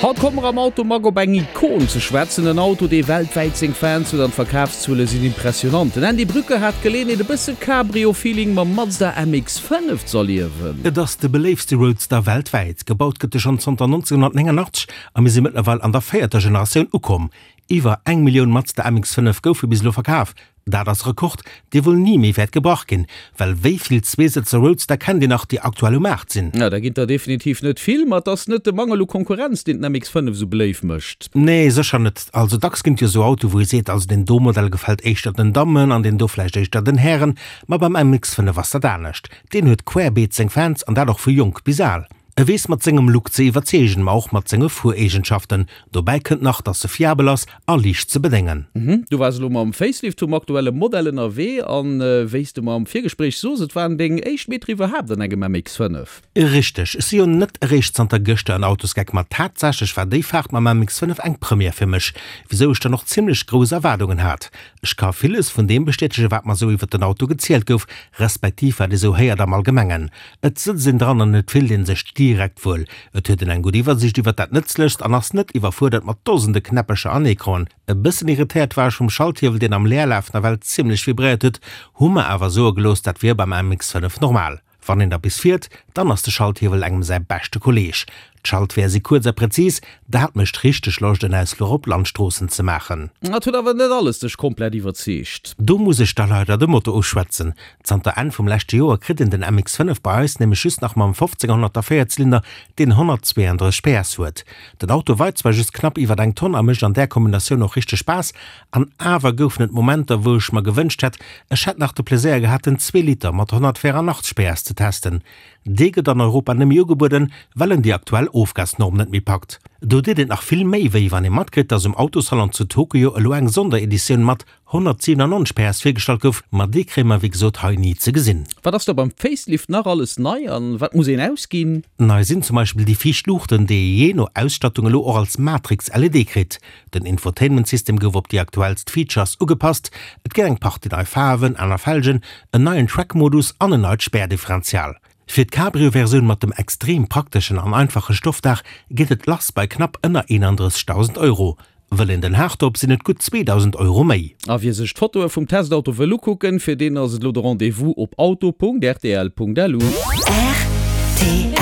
Haut komme mer am Automag op eng Ikon ze schwätzen, en Auto, dee weltwäit seng Fans huet an d'Verkafszuele sinn impressionant. Den Andy Brücker hat d'Geleeënheet e bësse Cabrio-Feeling mam Mazda MX-5 z'erliewen. Et ass de beléiftste Roadster weltwäit. Gebaut gëtt e schonn zanter 1989 a mir si mëttlerweil an der véierter Generatioun ukomm. Iwwer eng Millioun Mazda MX-5 goufe bis elo verkaf. Dat ass e Rekord, dee wuel ni méi wäert gebrach ginn, well wéi vill Zweesëtzer Roadster kennt een nach, déi aktuell um Maart sinn? Jo, der ginn der definitiv net vill, ma et ass net de Mangel u Konkurrenz, deen den MX-5 esou beléif mécht. Nee, sécher net. Also dacks ginn et jo esou Autoe wou ee seet, also deen do Modell gefält éischter den Dammen an deen do vläicht éischter den Hären, ma beim MX-5 ass dat anescht. Deen huet querbeet seng Fans an dat och vu jonk bis al. E weess mat sengem Look ze iwwerzeegen, ma och mat senge Fuereegenschaften. Dobäi kënnt nach, dass e fiabel ass a liicht ze bedéngen. Du waars elo mam Facelift vum aktuelle Modell ënnerwee an wéi s de mer am Virgespréich soos, et waren deng éischt Meter iwwerhaapt an engem MX-5. Richteg, ech si jo net eréischt zanter gëschter en Autosgeck, ma tatsächlech war déi Faart mam MX-5 eng Première fir mech, wisou ech dann och zimmlech grouss Erwaardungen hat. Ech ka villes vun deem bestätege wat mer sou iwwert den Auto gezielt gouf, respektiv wat ee sou héiert am Allgemengen. Et sëtzt een dran an et fillt een sech direkt wuel. Et huet een eng gutt Iwwersicht iwwert dat Nëtzlechst an ass net iwwerfuerdert mat dosende Knäppecher an Ecranen. E bëssen irritéiert war ech vum Schalthiewel, deen am Leerlaf nawell zimmlech vibréiert huet, hu mer awer soe gelooss, dat wier beim MX-5 normal. Wann een da bis fiert, dann ass de Schalthiewel engem säi beschte Kolleeg. D'Schaltweeër si kuerz a präzis, dat mécht richteg Loscht en Ausfluch op Landstroossen ze maachen. Et huet awer net alles dech komplett iwwerzeegt. Do muss ech da leider de Motor uschwätzen. Zanter Enn vum leschte Joer kritt een den MX-5 bei eis nämlech just nach mam 1500er Véierzylinder, deen 132 PS huet. Den Auto weit zwar just knapp iwwert eng Tonn a mécht an där Kombinatioun och richteg Spaass, an awer goufen et Momenter wou ech mer gewënscht hätt, ech hätt nach de Pleséier gehat den Zweeliter mat 184 PS ze testen. Dee gëtt an Europa net méi ugebueden, well en déi aktuell Ofgasnorm net méi packt. Do deet et nach vill méi wéi, wann ee matkritt, dass um Autosalon zu Tokio elo eng Sondereditioun mat 197 PS virgestallt gouf, ma déi kréie mer wéi gesot hei ni ze gesinn. Wat ass da beim Facelift nach alles nei an wat muss een ausginn? Nei sinn zum Beispill déi viischt Luuchten, déi ee jee no Ausstattung elo och als Matrix-LED kritt. Den Infotainment-System gouf op déi aktuellst Features ugepasst, et ginn eng Partie nei Faarwen, aner Felgen, en neien Track-Modus an en neit Spärdifferential. Fir d'Cabrio-Versioun mat dem extrem prakteschen an einfache Stoffdaach geet et lass bei knapp ënner 31.000 Euro. Wëll een den Hardtop, sinn et gutt 2.000 Euro méi. A wie sech d'Fotoe vum Testauto wëll ukucken, fir deen ass et elo de Rendez-vous op auto.rtl.lu. Rtl.